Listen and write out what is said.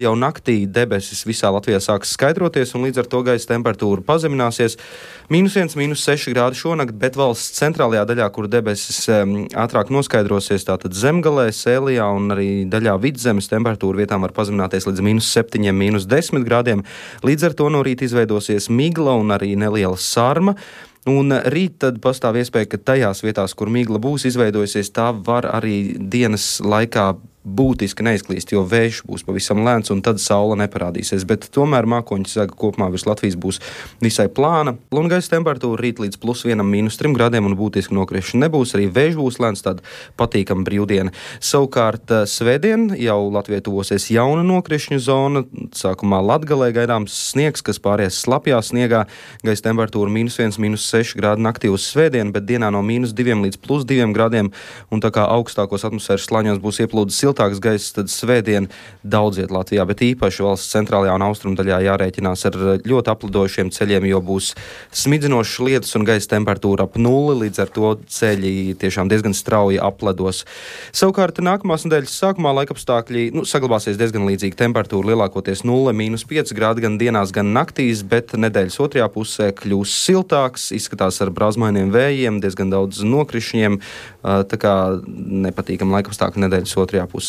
Jau naktī debesis visā Latvijā sāks skaidroties, un līdz ar to gaisa temperatūra pazemināsies. -1, -6 grādi šonakt, bet valsts centrālajā daļā, kur debesis ātrāk noskaidrosies, tātad Zemgalē, Sēlijā un arī daļā Vidzemes temperatūra vietām var pazemināties līdz -7, -10 grādiem. Līdz ar to no rīta izveidosies migla un arī neliela sarma. Un rīt tad pastāv iespēja, ka tajās vietās, kur migla būs izveidojusies, tā var arī dienas laikā būtiski neizklīst, jo vējš būs pavisam lēns un tad saule neparādīsies. Bet tomēr mākoņu sega kopumā virs Latvijas būs visai plāna. Un gaisa temperatūra rīt līdz +1, -3 grādiem un būtiski nokrišana nebūs. Arī vējš būs lēns, tāda patīkama brīvdiena. Savukārt svētdien jau Latvijai tuvosies jauna nokrišņu zona. Sākumā Latgalē gaidāms sniegs, kas pāries slapjā sniegā. Gaisa temperatūra -1, -6 grādi naktī uz svētdienu, bet dienā no -2 līdz +2 grādiem. Un tā kā augstākos atmosfēras slāņos būs ieplūdes siltāks gaiss, tad svētdien daudz viet Latvijā, bet īpaši valsts centrālajā un austrumu daļā jārēķinās ar ļoti aplidošiem ceļiem, jo būs smidzinošs lietus un gaisa temperatūra ap 0, līdz ar to ceļi tiešām diezgan strauji apledos. Savukārt nākamās nedēļas sākumā laikapstākļi saglabāsies diezgan līdzīgi. Temperatūra lielākoties 0, -5 grādi gan dienās, gan naktīs, bet nedēļas otrajā pusē kļūs siltāks, izskatās ar brāzmainiem vējiem, diezgan daudz nokrišņiem, tā kā nepatīkam laikapstākļi nedēļas otrajā pusē.